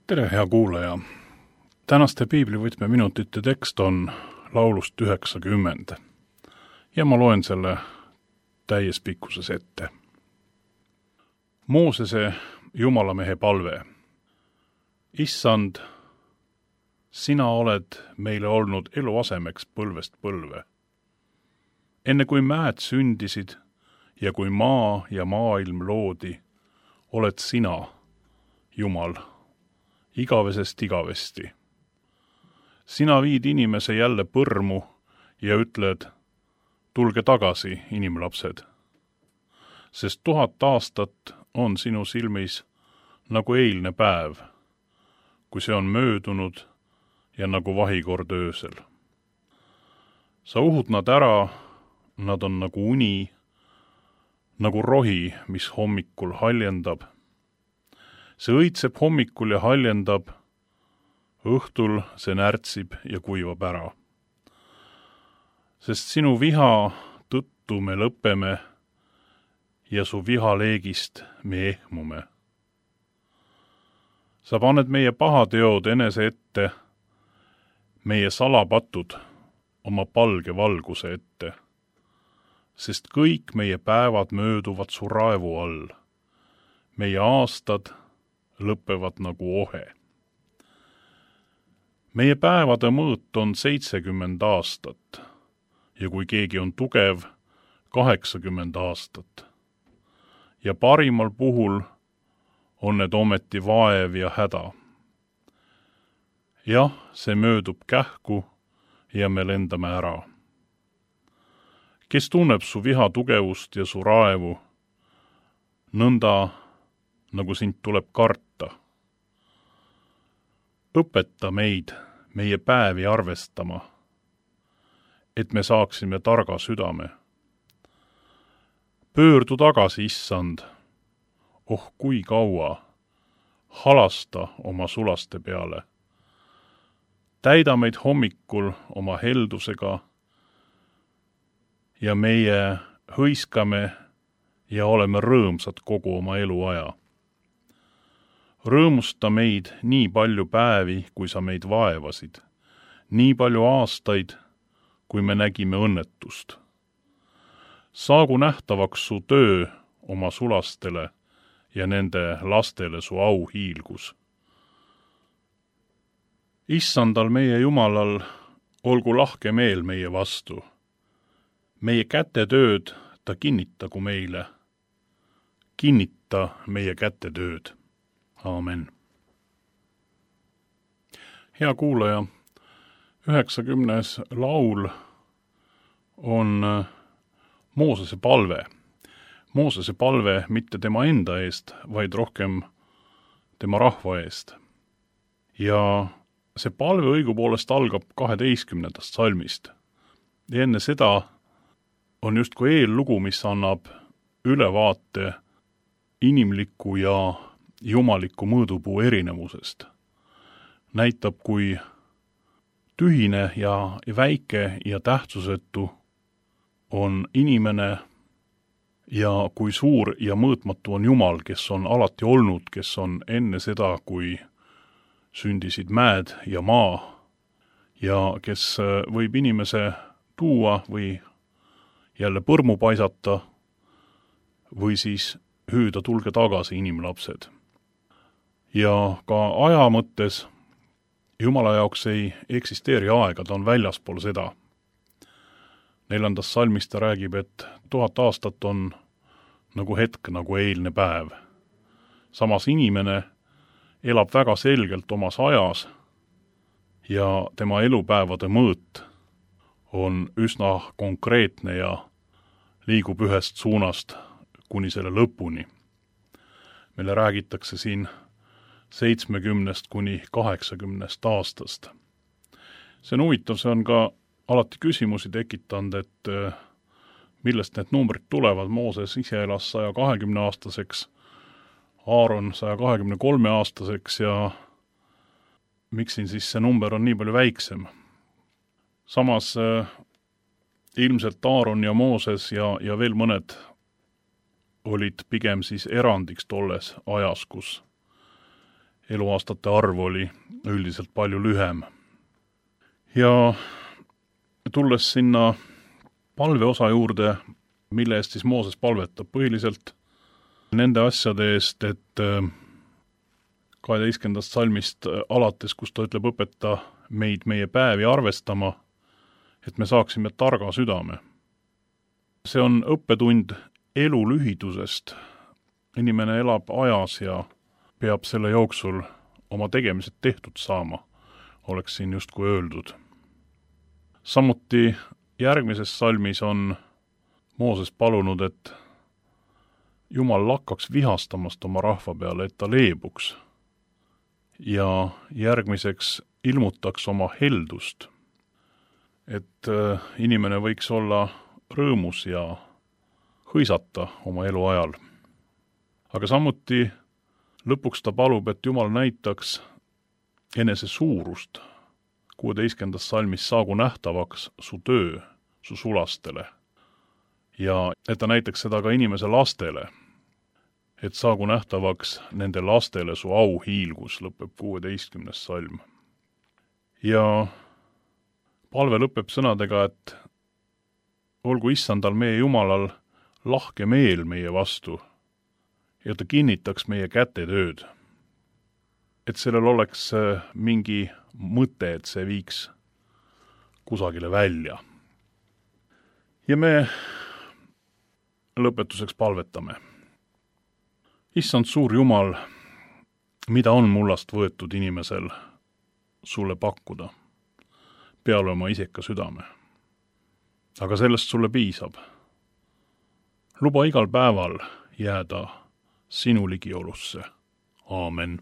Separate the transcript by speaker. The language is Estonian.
Speaker 1: Tere, hea kuulaja! Tänaste piiblivõtmeminutite tekst on laulust 90 ja ma loen selle täies pikkuses ette. Moosese Jumalamehe palve. Issand, sina oled meile olnud eluasemeks põlvest põlve. Enne kui mäed sündisid ja kui maa ja maailm loodi, oled sina, Jumal, igavesest igavesti. Sina viid inimese jälle põrmu ja ütled, tulge tagasi, inimlapsed. Sest 1000 aastat on sinu silmis nagu eilne päev, kui see on möödunud ja nagu vahikord öösel. Sa uhud nad ära, nad on nagu uni, nagu rohi, mis hommikul haljendab. See õitseb hommikul ja haljendab, õhtul see närtsib ja kuivab ära. Sest sinu viha tõttu me lõpeme ja su vihaleegist me ehmume. Sa paned meie pahateod enese ette, meie salapatud oma palge valguse ette, sest kõik meie päevad mööduvad su raevu all. Meie aastad lõpevad nagu ohe. Meie päevade mõõt on 70 aastat ja kui keegi on tugev, 80 aastat. Ja parimal puhul on need ometi vaev ja häda. Jah, see möödub kähku ja me lendame ära. Kes tunneb su viha tugevust ja su raevu, nõnda nagu sind tuleb karta. Õpeta meid meie päevi arvestama, et me saaksime targa südame. Pöördu tagasi, issand, oh kui kaua, halasta oma sulaste peale. Täida meid hommikul oma heldusega ja meie hõiskame ja oleme rõõmsad kogu oma eluaja. Rõõmusta meid nii palju päevi, kui sa meid vaevasid, nii palju aastaid, kui me nägime õnnetust. Saagu nähtavaks su töö oma sulastele ja nende lastele su auhiilgus. Issandal meie Jumalal olgu lahke meel meie vastu. Meie kätetööd ta kinnitagu meile. Kinnita meie kätetööd. Aamen. Hea kuulaja, 90. laul on Moosese palve. Moosese palve mitte tema enda eest, vaid rohkem tema rahva eest. Ja see palve õigupoolest algab 12. salmist. Ja enne seda on justkui eellugu, mis annab ülevaate inimliku ja jumaliku mõõdupuu erinevusest. Näitab, kui tühine ja väike ja tähtsusetu on inimene ja kui suur ja mõõtmatu on Jumal, kes on alati olnud, kes on enne seda, kui sündisid mäed ja maa ja kes võib inimese tuua või jälle põrmu paisata või siis hüüda tulge tagasi, inimlapsed. Ja ka aja mõttes Jumala jaoks ei eksisteeri aega, ta on väljaspool seda. 4. salmis ta räägib, et 1000 aastat on nagu hetk, nagu eilne päev. Samas inimene elab väga selgelt omas ajas ja tema elupäevade mõõt on üsna konkreetne ja liigub ühest suunast kuni selle lõpuni. Meile räägitakse siin 70 kuni 80 aastast. See on huvitav, see on ka alati küsimusi tekitanud, et millest need numbrid tulevad. Mooses ise elas 120-aastaseks, Aaron 123-aastaseks ja miks siin siis see number on nii palju väiksem? Samas ilmselt Aaron ja Mooses ja veel mõned olid pigem siis erandiks tolles ajas, kus eluaastate arv oli üldiselt palju lühem. Ja tulles sinna palveosa juurde, mille eest siis Mooses palvetab, põhiliselt nende asjade eest, et 12. salmist alates, kus ta ütleb, õpeta meid meie päevi arvestama, et me saaksime targa südame. See on õppetund elu lühidusest. Inimene elab ajas ja peab selle jooksul oma tegemised tehtud saama, oleks siin justkui öeldud. Samuti järgmises salmis on Mooses palunud, et Jumal lakkaks vihastamast oma rahva peale, et ta leebuks ja järgmiseks ilmutaks oma heldust, et inimene võiks olla rõõmus ja hõisata oma elu ajal. Aga samuti lõpuks ta palub, et Jumal näitaks enese suurust. 16. salmis saagu nähtavaks su töö su sulastele. Ja et ta näitaks seda ka inimese lastele, et saagu nähtavaks nende lastele su auhiilgus, lõpeb 16. salm. Ja palve lõpeb sõnadega, et olgu Issandal meie Jumalal lahke meel meie vastu ja ta kinnitaks meie kätetööd. Et sellel oleks mingi mõte, et see viiks kusagile välja. Ja me lõpetuseks palvetame. Issand suur Jumal, mida on mullast võetud inimesel sulle pakkuda? Peale oma iseka südame. Aga sellest sulle piisab. Luba igal päeval jääda sinu ligiolusse. Aamen.